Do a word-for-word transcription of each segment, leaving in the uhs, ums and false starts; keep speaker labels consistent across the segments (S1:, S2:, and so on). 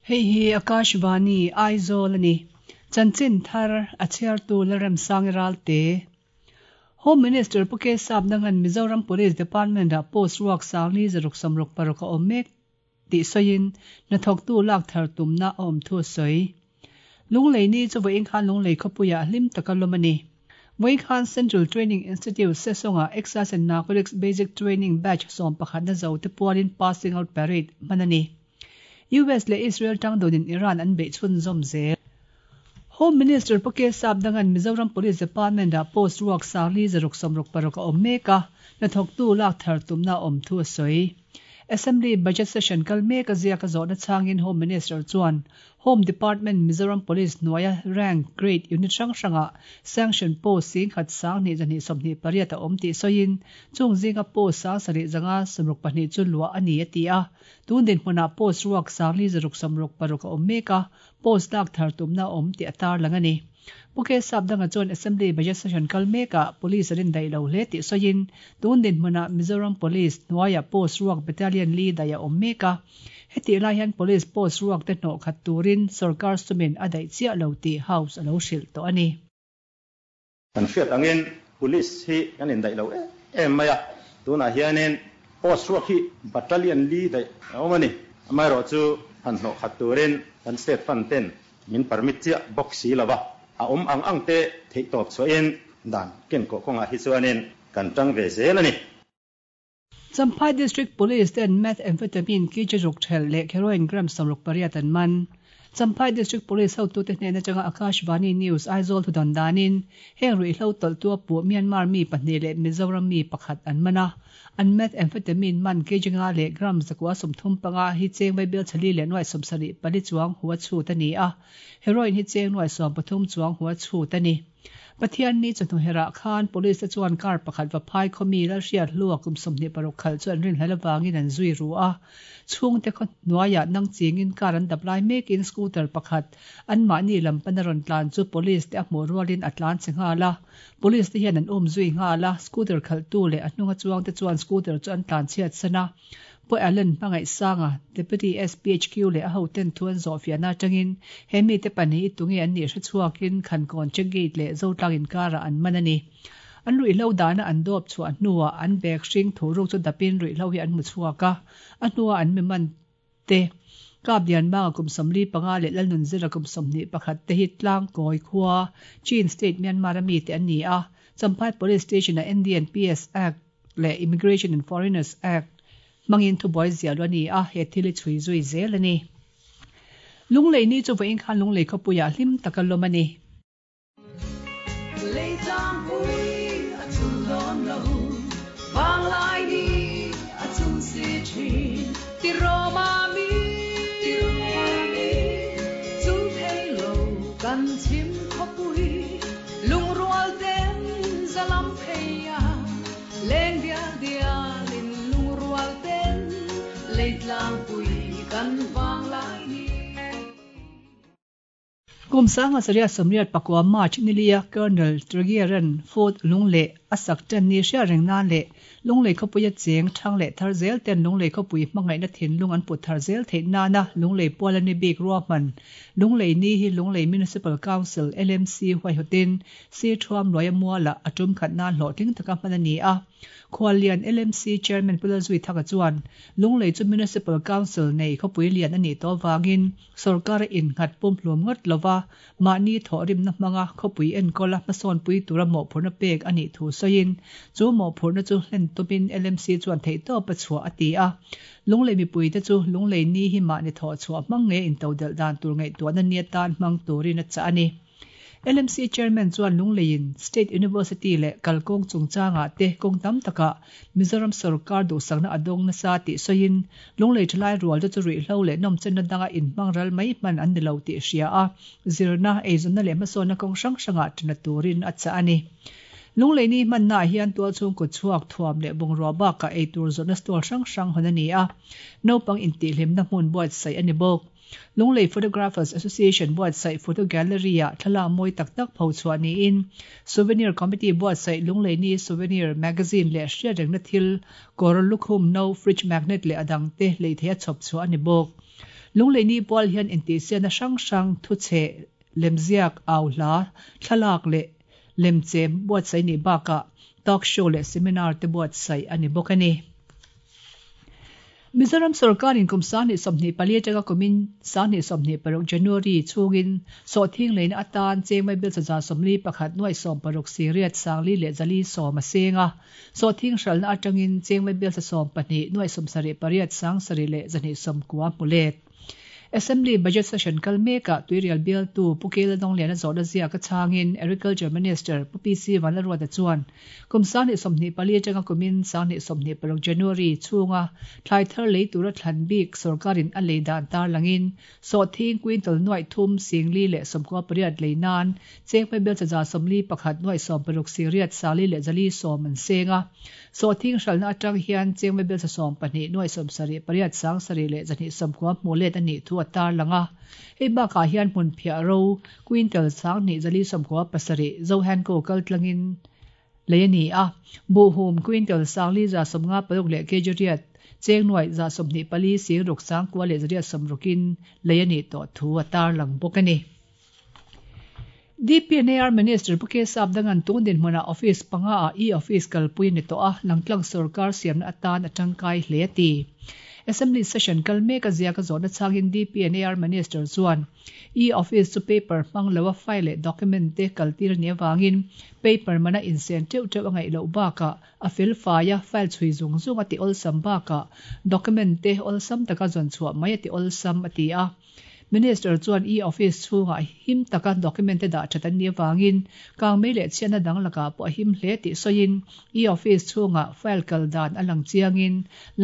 S1: Hei hi Akashvani Aizawl ani. Chanchin thar a chhiartu Lalremsangi Ralte. Home Minister Pu K Sapdangan Mizoram Police Department ah post ruak sangli zaruk sawmruk paruk a awm mek tih sawiin hnathawktu lak thar tumna a awm thu a sawi. Lunglei ni chu vawiin khan Lunglei khawpuiah hlim taka lawm a ni. Vawiin khan Central Training Institute Sesawngah Excise and Narcotics Basic Training Batch sawm pakhatna zo te pualin Passing Out Parade hman a ni. U S leh Israel tang dawnin Iran an beih chhunzawm zel. Home Minister Pu K Sapdangan Mizoram Police Department ah post ruak sangli zaruk sawmruk paruk a awm mek a, hnathawktu lak thar tumna a awm thu a sawi. Assembly Budget Session kal mek a ziak a zawhna changin Home Minister chuan Home Department Mizoram Police hnuaia rank grade unit hrang hrangah sanction post sing khat sang hnih zahnih sawmhnih pariat a awm tih sawiin chung zinga post sang sarih zanga sawmruk pahnih chu luah a ni a ti a. Tun dinhmunah post ruak sangli zaruk sawmruk paruk a awm mek a, post lak thar tumna a awm tih a tar lang a ni. Pu K Sapdanga chuan Assembly Budget Session kal mekah Police an indaih lo hle tih sawiin tun dinhmunah Mizoram Police hnuaiah post ruak battalion li daih a awm mek a. Hetih lai hian Police post ruak te hnawh khat turin sarkar sumin a daih chiah lo tih House a lo hrilh tawh a ni.
S2: Kan hriat angin Police hi kan indaih lo em em mai a, tunah hianin post ruak hi battalion li daih a awm a ni. Amaherawh chu han hnawh khat turin kan state fund ten min permit chiah bawk si lo va, a awm ang ang te theih tawp chhuahin dan kenkawh kawngah hi chuanin kan tang ve zel a ni.
S1: Champhai District Police ten methamphetamine kg ruk thelh leh heroin gram sawmruk pariat an man. Champhai District Police hotute hnena changa Akashvani News Aizawl thu dawn danin heng ruihhlo tawlhtu a puh Myanmar mi pahnih leh Mizoram mi pakhat an man a. An methamphetamine man kg nga leh gram zakua sawmthum panga hi cheng vaibel chali leh nuai sawmsarih pali chuang hua chhut a ni a. Heroin hi cheng nuai sawm pathum chuang hua chhut a ni. Pathian ni chawhnu herah khan police te chuan car pakhat va phai khawmi Lalhriat hlua kum sawmhnih paruk khalh chu an rinhlel avangin an zui ru a. Chhungte khaw hnuaiah nang chingin car an dap lai mekin scooter pakhat anmahni lam pana rawn tlan chu police te a hmuh rualin a tlan che nghal a. Police te hian an um zui nghal a, scooter khalhtu leh a hnunga chuang te chuan scooter chu an tlan chhiat san a. Pu Allen hmangaih sanga Deputy S P H Q leh a hoten thu an zawh fiahna atangin he mite pahnih hi tunge an nih hre chhuakin Khankawn check gate leh Zotlang inkarah an man a ni. An ruihhlo dana an dawp chhuah hnuah an bag hring thu ruk chu dapin ruihhlo hi an hmu chhuak a, a hnuah an mi man te Kap Lianmanga kum sawmli panga leh Lalnun Zira kum sawmhnih pakhat te hi Tlangkawi khua Chin State Myanmar a mi te an ni a. Champhai Police Station-a N D and P S Act leh Immigration and Foreigners Act hmangin thubuai ziah lu a ni a, he thil hi chhui zui zel a ni. Lunglei ni chu vawiin khan Lunglei khawpuiah hlim taka lawm a ni.
S3: Lei tlangpui a chum dawn lo, vanglai ni a chum si thin. Ti Roma mi, ti Roma mi, chum thei lo kan chim khawpui, lungrual ten zalam phei a, leng dial dialin lungrual ten lei tlangpui kan vanglai ni.
S1: Kum sanga saria sawmriat pakua March nilia Colonel Tregearan Fort Lunglei a sak tan ni hriat reng nan leh Lunglei khawpui a cheng thang leh thar zel ten Lunglei khawpui hmangaihna thinlung an put thar zel theih nana Lunglei pual ani bik ruahman Lunglei ni hi Lunglei Municipal Council L M C huaihawtin Si Thuam Luaia Muala a tum khat nan hlawhtling taka hman a ni a. Khuallian L M C Chairman Pu Lalzui Thaka chuan Lunglei chu Municipal Council nei khawpui lian a nih tawh avangin sarkar a innghat pumhlum ngawt lova mahni thawh rimna hmanga khawpui enkawl a hmasawnpui tura mawhphurhna pek a nih thu sawiin chu mawhphurhna chu hlen tumin L M C chuan theihtawp a chhuah a ti a. Lunglei mipui te chu Lunglei ni hi mahni thawh chhuah hmang nge intodelh dan tur ngaihtuahna ni atan hmang turin a chah a ni. L M C Chairman chuan Lungleiin State University leh kalkawng chungchangah te kawng tam takah Mizoram sarkar duhsakna a dawng nasa tih sawiin Lunglei thalai rual te chu ruihhlo leh nawmchenna danga inhmang ral mai hman an ni lo tih hria a, zirna, eizawnna leh hmasawnna kawng hrang hrangah ṭana turin a chah a ni. Lunglei ni hmannaah hian tual chhung kut chhuak thuam leh bungrua bakah eitur zawrhna stall hrang hrang hawn a ni a, naupang intihhlimna hmun buatsaih a ni bawk. Lunglei Photographers Association buatsaih photo gallery ah thlalak mawi tak tak pho chhuah niin Souvenir Committee buatsaih Lunglei ni Souvenir Magazine leh hriat rengna thil kawr lukhum no fridge magnet leh adang te lei thei a chhawp chhuah a ni bawk. Lunglei ni pual hian intihsiakna hrang hrang thuchhe lemziak au hla thlalak leh lemchem buatsaih ni bakah talk show leh seminar te buatsaih a ni bawk a ni. Mizoram sarkarin kum sanghnih sawmhnih pali atanga kumin sanghnih sawmhnih paruk January chhungin sawhthing leina atan chengmai bel chaza sawmli pakhat nuai sawm paruk siriat sangli leh zali sawm a senga sawhthing hralna atangin chengmai bel cha sawm pahnih nuai sawm sarih pariat sang sarih leh zahnih sawm kua hmulet. Assembly budget session kal meka tuirial bial tu Pukel Donglian a zawhna ziak a changin Agriculture Minister Pu P C Vanlalruata chuan kum sanghnih sawmhnih pali atanga kumin sanghnih sawmhnih paruk January chhunga thlai thar lei tura thlan bik sarkarin a lei dan tar langin sawhthing quintal nuai thum singli leh sawmkua pariat lei nan chengmai bel chaza sawmli pakhat nuai sawm paruk siriat sangli leh zali sawm an senga sawhthing hralna atang hian chengmai bel cha sawm pahnih nuai sawm sarih pariat sang sarih leh zahnih sawmkua hmulet a nih thu tar langa hei bakah hian hmun phiah ro quintal sanghnih zali sawmkua pasarih Zohanco kal tlangin lei a ni a buhhum quintal sangli za sawmnga paruk leh kg riat cheng nuai za sawmhnih pali sing ruk sangkua leh zariat sawmrukin lei a ni tawh thu a tar lang bawk a ni. D P N A R Minister Puke Sapdangan tun dinhmuna office panga a e-office kalpui ni tawh a langtlang sarkar siamna atan a tangkai hle a ti. Assembly session kal mek a ziak a zawhna changin D P N A R Minister chuan e-office chu paper hmang lo a file leh document te kaltir ni awangin paper mana insen teuh teuh a ngaih loh bakah a fel fai a file chhui zung zung a ti awlsam bakah document te awlsam taka zawn chhuah mai a ti awlsam a ti a. Minister chuan e-office chhungah him taka document te dah that an ni awangin kangmei leh chhiatna dang lakah pawh a him hle tih sawiin e-office chhungah file kal dan a lang chiangin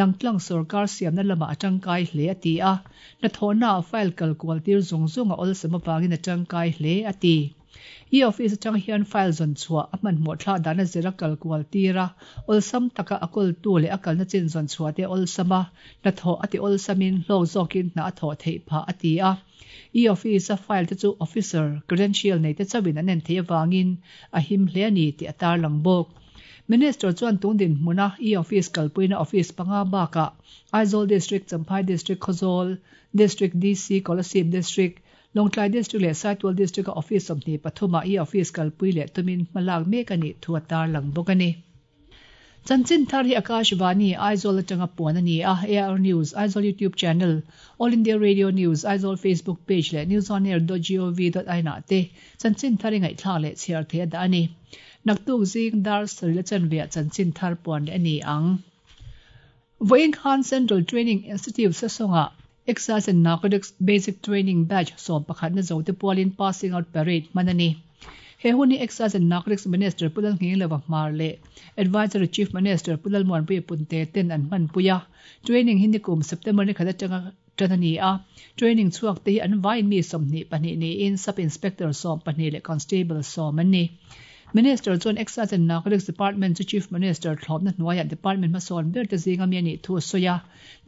S1: langtlang sarkar siamna lamah a tangkai hle a ti a hnathawhna ah file kal kual tir zung zung a awlsam awangin a tangkai hle a ti. E-office atang hian file zawn chhuah a hmanhmawh thlah dan a zira kal kual tira awlsam taka a kawltu leh a kalna chin zawn chhuah te awlsam a hnathawh a ti awlsamin hlawk zawkin hna a thawh theih phah a ti a. E-office a file te chu officer credential nei te chawin an en thei awangin a him hle a ni tih a tar lang bawk. Minister chuan tun dinhmuna e-office kalpuina office panga bakah Aizawl District, Champhai District, Khawzawl District, D C, Kolasib District, Lawngtlai District leh Saitual District a office sawmhnih pathuma e-office kalpui leh tumin hmalak mek a nih thu a tar lang bawk a ni. Chanchin thar hi Akashvani Aizawl atanga puan a ni a A R News, Aizawl YouTube channel, All India Radio News, Aizawl Facebook page leh newsonair dot gov dot in ah te chanchin thar i ngaihthlak leh chhiar thei a dah a ni. Naktuk zing dar sarih la chanveah chanchin thar puan leh a ni ang. Vawiin Khan Central Training Institute sasawngah Excise and Narcotics Basic Training Batch sawm pakhat na zo te pualin Passing Out Parade hman a ni. He hun hi Excise and Narcotics Minister Pulal Nghinglova Hmar leh Advisory Chief Minister Pulal Muanpui Punte ten an hman pui a. Training hi nikum September ni khat atanga tan a ni a. Training chhuak te hi an vain mi sawmhnih pahnih niin Sub Inspector sawm pahnih leh Constable sawm an ni. Minister chuan Excise and Narcotics Department chu Chief Minister thlawpna hnuaiah Department hmasawn ber te zinga mi a nih thu a sawi a.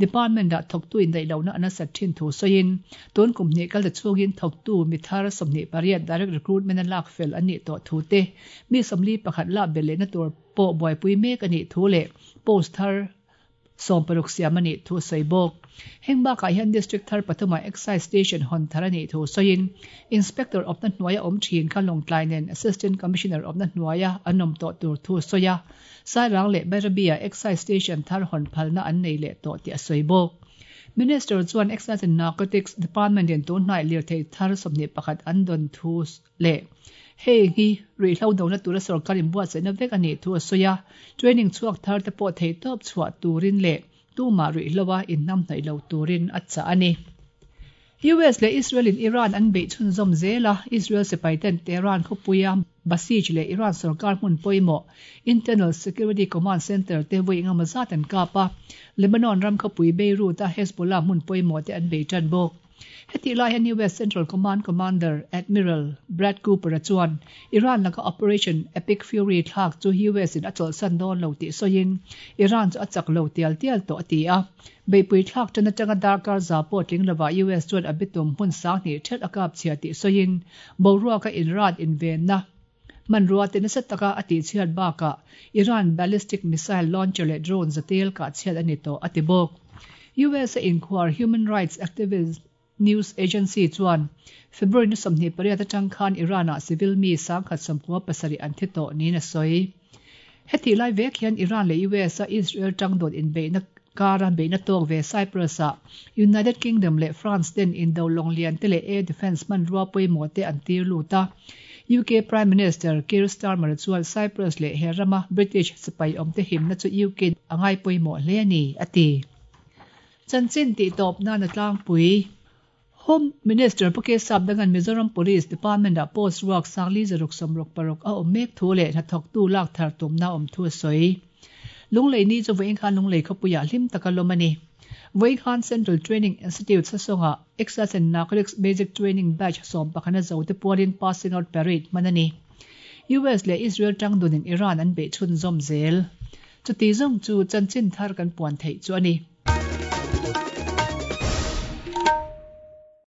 S1: Department ah thawktu indaih lohna an a sat thin thu sawiin tun kum hnih kal ta chhungin thawktu mi thar sawmhnih pariat direct recruitment a lak fel an nih tawh thu te mi sawmli pakhat lak bel lehna tur pawh buaipui mek a nih thu leh post thar sawm paruk siam a nih thu sawi bawk. Heng bakah hian District thar pathuma Excise Station hawn thar a nih thu sawiin Inspector awpna hnuaia awm thin kha Lawngtlai nen Assistant Commissioner awpna hnuaia an awm tawh tur thu sawi a. Sairang leh Bairabia Excise Station thar hawn phalna an nei leh tawh tih a sawi bawk. Minister chuan Excise and Narcotics Department in tun hnai lir thei thar sawmhnih pakhat an dawn thu leh hei hi ruihhlo dona tura sarkar in buatsaihna vek a nih thu a sawi a. Training chhuak thar te pawh thei tawp chhuah turin leh tumah ruihhloa innam hnaih lo turin a chah a ni. U S leh Israel in Iran an beih chhunzawm zel a. Israel sipai ten Tehran khawpuia Basij leh Iran sarkar hmun pawimawh Internal Security Command Center te vawi engemaw zat an kap a. Lebanon ram khawpui Beirut a Hezbollah hmun pawimawh te an bei tan bawk. Heti lai hian U S Central Command Commander Admiral Brad Cooper a chuan Iran laka Operation Epic Fury thlak chu U S in a chawlhsan dawn lo tih sawiin Iran chu a chak lo tial tial tawh a ti a. Beipui thlak tan atanga darkar za pawh tling lova U S chuan a bitum hmun sanghnih thet a kap chhia tih sawiin boruaka inrat invenna manrua te nasa taka a tih chhiat bakah Iran ballistic missile launcher leh drone zatel kah chhiat a ni tawh a ti bawk. U S a inquire human rights activist News Agency chuan February ni sawmhnih pariat atang khan Iran-ah civil mi sangkhat sawmkua pasarih an thi tawh niin a sawi. Heti lai vek hian Iran leh U S a Israel tangdawt inbeihna kara beihna tawk ve Cyprus ah United Kingdom leh France ten indo lawng lian te leh air defence hmanrua pawimawh te an tir lut a. U K Prime Minister Keir Starmer chuan Cyprus leh he rama British sipai awm te himna chu U K a ngai pawimawh hle a ni, a ti. Chanchin tih tawp nan a tlangpui. Home Minister Pu K Sapdanga'n Mizoram Police Department ah post ruak sangli zaruk sawmruk paruk a awm mek thu leh hnathawktu lak thar tumna awm thu a sawi. Lunglei ni chu vawiin khan Lunglei khawpuiah hlim taka lawm a ni. Vawiin khan Central Training Institute Sasawngah Excise and Narcotics Basic Training Batch sawm pakhana zo te pualin Passing Out Parade hman a ni. U S leh Israel tangdunin Iran an beih chhunzawm zel. Chuti zawng chu chanchin thar kan puan theih chu a ni.